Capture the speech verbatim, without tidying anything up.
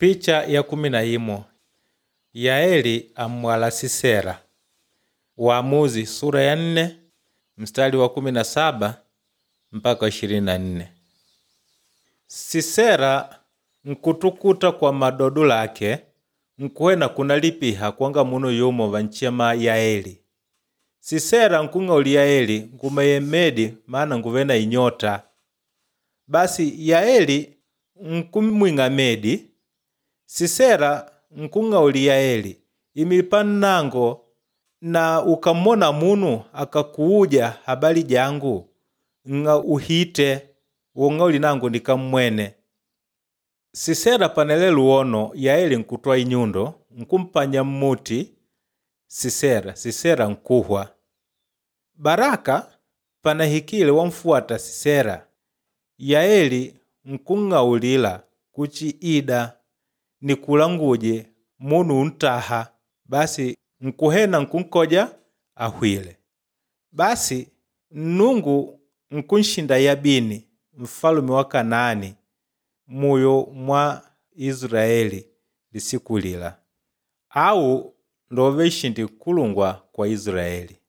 Picha ya kumi na imo Yaeli ammwala Sisera. Waamuzi sura ya nne mstari wa kumi na saba mpaka ishirini na nne. Sisera nkutukuta kwa madodo lake nkuhwena kunalipiha kwanga munu yumo vanchema Yaeli. Sisera nkung'auli Yaeli ngumeye medi maana nguve na inyota. Basi Yaeli nkumwing'a medi. Sisera nkung'auli Yaeli imipa nnango na ukammona munu akakuuja habali jangu ng'a uhite wong'auli nangu nikammwene. Sisera panele luwono Yaeli nkutwa inyundo nkumpanya mmuti Sisera, Sisera nkuhwa. Baraka panahikile wamfuata Sisera, Yaeli nkung'aulila kuchi ida nikulanguje munu untaha basi nkuhena nkunkoja ahwile. Basi Nnungu nkunshinda Yabini mfalume wa Kanaani muyo mwa Israeli lisiku lila. Au ndove nshindi nkulungwa kwa Israeli.